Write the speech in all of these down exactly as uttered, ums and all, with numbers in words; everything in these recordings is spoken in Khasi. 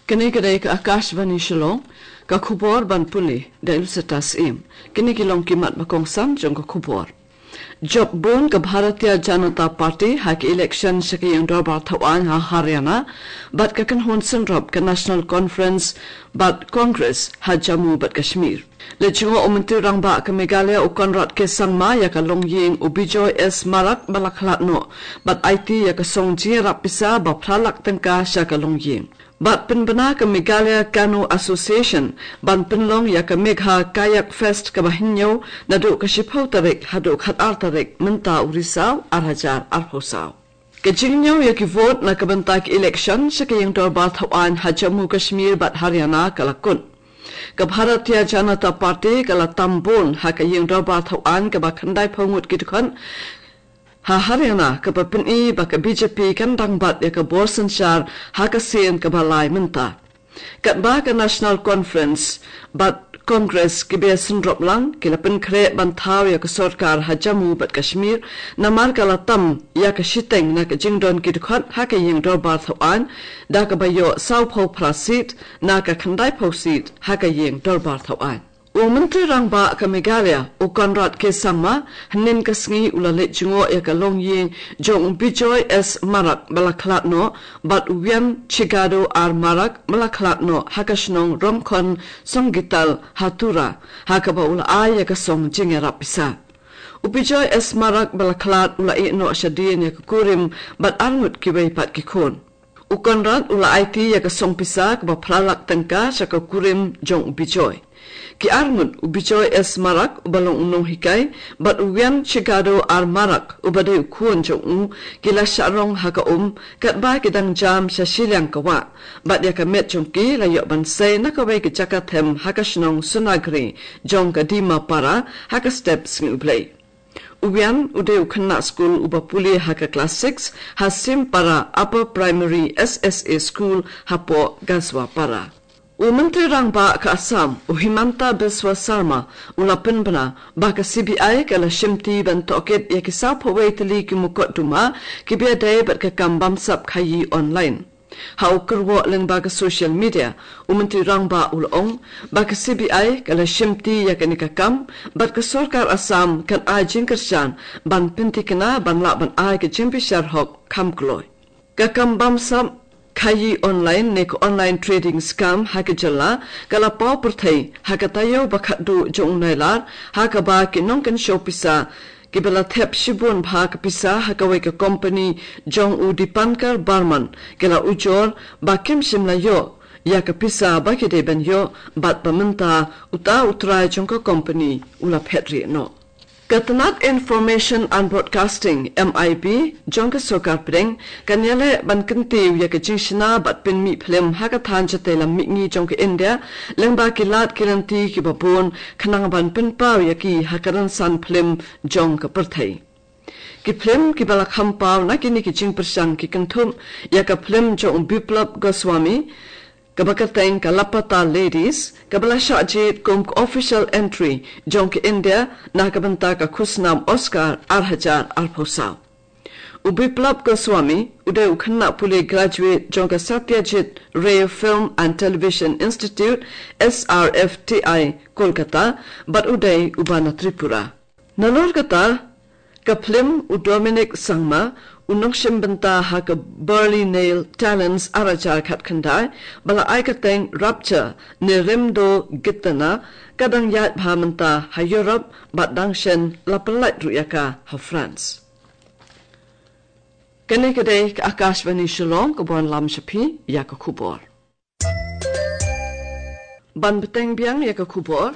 Kane ka dei ka Akashvani Shillong, ka khubor ban pule da Iluseta Syiem. Kine ki long ki mat ba kongsan jong ka khubor. Jop bun ka Bharatiya Janata Party ha ka election sha ka ïing dorbar thawaiñ ha Haryana, bad ka kynhun synrop ka National Conference bad Congress ha Jammu bad Kashmir. Leit jngoh u Myntri Rangbah ka Meghalaya u Conrad K Sangma ïa ka longïing u Bijoy S Marak ba la khlad noh, bad aiti ïa ka song jingïarap pisa ba phra lak tyngka sha ka longïing. Bad pynbna ka Meghalaya Canoe Association ban pynlong ïa ka Megha Kayak Fest kaba hynñiew naduh ka shiphew tarik haduh khatar tarik mynta u Risaw ar hajar arphew saw. Ka jingñiew ïa ki vote na ka bynta ka election sha ka ïing dorbar thawaiñ ha Jammu Kashmir bad Haryana ka la kut. Ka Bharatiya Janata Party ka la tam bun ha ka ïing dorbar thawaiñ kaba khyndaiphew ngut ki dkhot ha Haryana, kaba pyni ba ka B J P kan dang bat ïa ka bor synshar ha ka sien kaba lai mynta. Katba ka National Conference bad Congress kiba synrop lang ki la pynkhreh ban thaw ïa ka sorkar ha Jammu bad Kashmir, namar ka la tam ïa ka shiteng na ka jingdon ki dkhot ha ka ïing dorbar thawaiñ, da kaba ïoh sawphew phra seat na ka khyndaiphew seat ha ka ïing dorbar thawaiñ. U Myntri Rangbah ka Meghalaya u Conrad K Sangma hynnin ka sngi u la leit jngoh ïa ka longïing jong u Bijoy S Marak ba la khlad noh, bad u Wian Chigado R Marak ba la khlad noh ha ka shnong Rongkhon Songgital ha Tura, ha kaba u la ai ïa ka song jingïarap pisa. U Bijoy S Marak ba la khlad u la ïeh noh shadien ïa ka kurim bad arngut kiwei pat ki khun. U Conrad u la aiti ïa ka song pisa kaba phra lak tyngka sha ka kurim jong u Bijoy. Ki arngut u Bijoy S Marak uba long u nonghikai bad u Wian Chigado R Marak uba dei u khun jong u, ki la shah rong ha ka um katba ki dang jam sha shiliang ka wah, bad ïa ka met jong ki la ïoh ban sei na kawei ka jaka them ha ka shnong Sonagri jong ka Dimapara ha ka step Sngi U Blei. U Wian u dei u khynnah skul uba pule ha ka klas six ha Simpara Upper Primary S S A School hapoh Gaswapara. U Myntri Rangbah ka Assam u Himanta Biswa Sarma u la pynbna ba ka C B I ka la shimti ban tohkit ïa ki sawphew wei tylli ki mukotduma kiba ïadei bad ka kam bamsap khaïi online. Ha u kyrwoh lyngba ka social media, u Myntri Rangbah u la ong ba ka C B I ka la shimti ïa kane ka kam, bad ka sorkar Assam kan ai jingkyrshan ban pynthikna ban lah ban ai ka jingbishar hok kham kloi. Ka kam bamsap khaïi online ne ka online trading scam ha ka jylla ka la paw pyrthei ha ka taïew ba khatduh jong u Nailar, ha kaba ki nongkynshew pisa kiba la thep shibun bha ka pisa ha kawei ka company jong u Dipankar Barman ki la ujor ba kim shym la ïoh ïa ka pisa ba ki dei ban ïoh, bad ba mynta uta u trai jong ka company u la phet rieh noh. Ka tnat Information and Broadcasting, M I B, jong ka sorkar pdeng kan ïaleh ban kyntiew ïa ka jingshna bad pynmih phlim ha ka thaiñ shatei lam mihngi jong ka India lyngba ki lad ki lynti kiba bun, khnang ban pynpaw ïa ki ha ka rynsan phlim jong ka pyrthei. Ki phlim kiba la kham paw na kine ki jingpyrshang ki kynthup ïa ka phlim jong u Biplab Goswami kaba kyrteng ka Lapata Ladies, kaba la shah jied kum ka official entry jong ka India na ka bynta ka khusnam Oscar ar hajar arphew saw. U Biplab Goswami u dei u khynnah pule graduate jong ka Satyajit Ray Film and Television Institute, S R F T I, Kolkata, bad u dei uba na Tripura. Nalor kata, ka phlim u Dominic Sangma, u nongshim bynta ha ka Burley Nail Talents ar hajar khatkhyndai, ba la ai kyrteng Rapture ne Remdo Gitana, ka dang ïaid bha mynta ha Europe, bad dang shen la pyllait ruh ïa ka ha France. Kane ka dei ka Akashvani Shillong kaba wanlam sha phi ïa ka khubor. Ban bteng biang ïa ka khubor,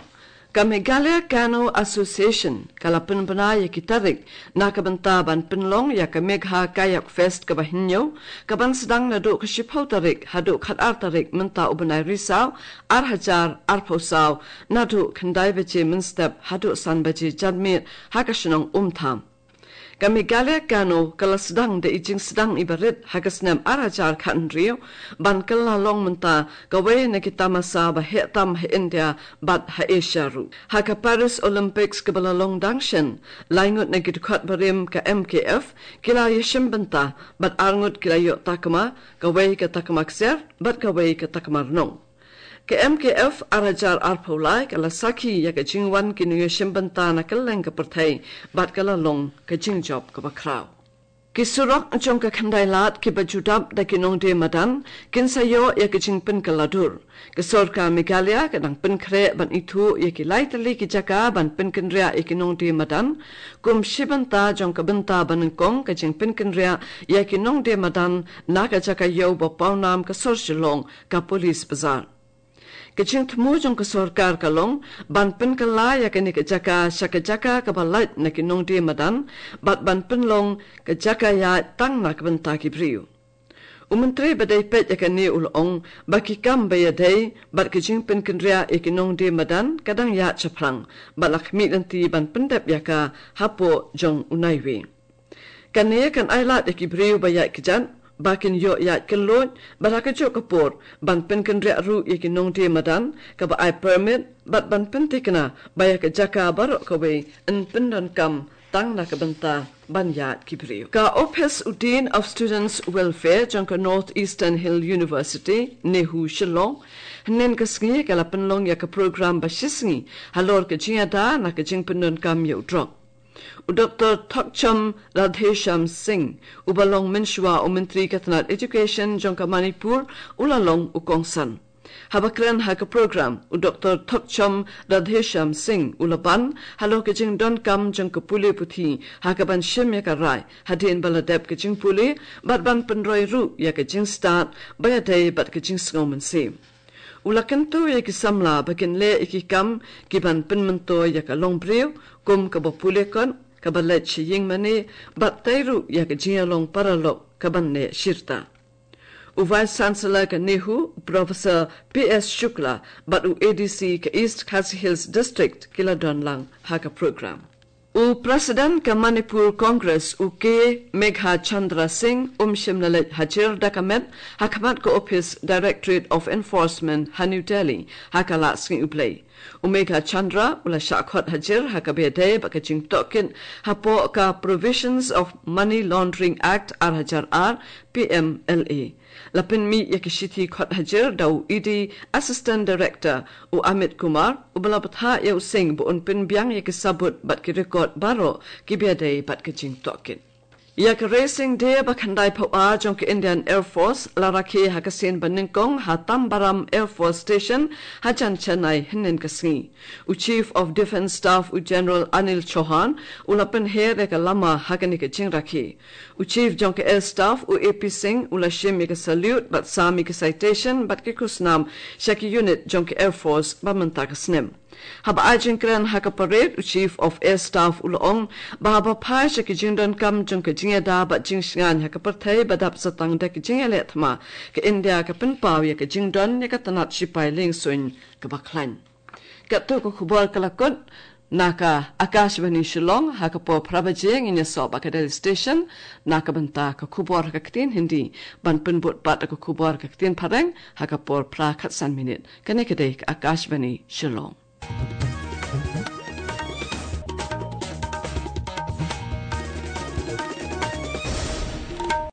ka Meghalaya Canoe Association ka la pynbna ïa ki tarik na ka bynta ban pynlong ïa ka Megha Kayak Fest kaba hynñiew, kaban sdang naduh ka shiphew tarik haduh khatar tarik mynta u bnai Risaw ar hajar arphew saw, naduh khyndai baje mynstep haduh san baje janmiet ha ka shnong Umtham. Ka Meghalaya Gano ka la sdang da i jingsdang iba rit ha ka snem ar hajar khathynriew ban kylla long mynta kawei na ki tamasa ba heh tam ha India bad ha Asia ruh. Ha ka Paris Olympics kaba la long dang shen, lai ngut na ki dkhot barim ka M K F ki la ïashim bynta bad ar ngut ki la ïoh takma, kawei ka takma ksiar bad kawei ka takma rnong. Ka M K F ar hajar arphew lai ka la sakhi ïa ka jingwan ki nongïashim bynta na kylleng ka pyrthei bad ka la long ka jingjop kaba khraw. Ki surok jong ka Khyndai Lad kiba ju dap da ki nongdie madan kin sa ïoh ïa ka jingpynkylla dur. Ka sorkar Meghalaya ka dang pynkhreh ban ithuh ïa ki lai tylli ki jaka ban pynkynriah ïa ki nongdie madan. Kum shi bynta jong ka bynta ba nyngkong ka jingpynkynriah ïa ki nongdie madan na ka jaka ïew ba pawnam ka sor Shillong, ka Police Bazar. Ka jingthmu jong ka sorkar ka long ban pynkylla ïa kane ka jaka sha ka jaka kaba lait na ki nongdie madan bad ban pynlong ka jaka ïaid tang na ka bynta ki briew. U Myntri ba dei peit ïa kane u la ong ba ki kam ba ïadei bad ka jingpynkynriah ïa ki nongdie madan ka dang ïaid shaphrang bad la khmih lynti ban pyndep ïa ka hapoh jong u naiwieng. Kane kan ai lad ïa ki briew ba ïaid kjat ba kin ïoh ïaid kylluid bad ha kajuh ka por ban pynkynriah ruh ïa ki nongdie madan kaba ai permit bad ban pynthikna ba ïa ka jaka baroh kawei yn pyndonkam tang na ka bynta ban ïaid ki briew. Ka Ophis u Dean of Students Welfare jong ka North Eastern Hill University, NEHU, Shillong, hynnin ka sngi ka la pynlong ïa ka program ba shisngi halor ka jingïada na ka jingpyndonkam ïa u drok. U Doktor Thokchom Radheshyam Singh, uba long mynshuwa u Myntri ka tnat Education jong ka Manipur, u la long u kongsan. Haba kren ha ka program, u Doktor Thokchom Radheshyam Singh u la ban halor ka jingdonkam jong ka pule puthi ha kaban shim ïa ka rai hadien ba la dep ka jingpule bad ban pynroi ruh ïa ka jingstad ba ïadei bad ka jingsngew mynsiem. U la kyntu ïa ki samla ba kin leh ïa ki kam kiban pynmyntoi ïa ka longbriew, kum kaba pule kot, kaba leit sha ïing mane bad tei ruh ïa ka jingïalong paralok kaban neh shirta. U Vice Chancellor ka NEHU, Professor P S Shukla, bad u A D C ka East Khasi Hills District ki la don lang ha ka program. U President ka Manipur Congress, u K Meghachandra Singh, um shym la leit hajir da ka met ha khmat ka ophis Directorate of Enforcement ha New Delhi ha ka lad sngi U Blei. U Meghachandra u la shah khot hajir ha kaba ïadei bad ka jingtohkit hapoh ka Provisions of Money Laundering Act ar hajar ar, P M L A. La pynmih ïa ki shithi khot hajir da u E D Assistant Director, u Amit Kumar, uba la bthah ïa u Singh ba un pynbiang ïa ki sabut bad ki record baroh kiba ïadei bad ka jingtohkit. Ïa ka Raising Day ba khyndai phew ar jong ka Indian Air Force la rakhe ha ka sien ba nyngkong ha Tambaram Air Force Station hajan Chennai hynnin ka sngi. U Chief of Defence Staff, u General Anil Chauhan, u la pynher ïa ka lama ha kane ka jingrakhe. U Chief jong ka Air Staff, u A P Singh, u la shim ïa ka salute bad sam ïa ka citation bad ki khusnam sha ki unit jong ka Air Force ba mynta ka snem. Haba ai jingkren ha ka parade, u Chief of Air Staff u la ong ba haba phai sha ki jingdonkam jong ka jingïada bad jingshngaiñ ha ka pyrthei ba dap sa tang da ki jingïaleh thma, ka India ka pynpaw ïa ka jingdon ïa ka tnat shipai liengsuiñ kaba khlaiñ. Katto ka khubor ka la kut na ka Akashvani Shillong. Ha ka por phra baje ngin ïasoh bad ka Delhi Station na ka bynta ka khubor ha ka ktien Hindi, ban pynbud pat da ka khubor ha ka ktien Phareng ha ka por phra khatsan minit. Kane ka dei ka Akashvani Shillong.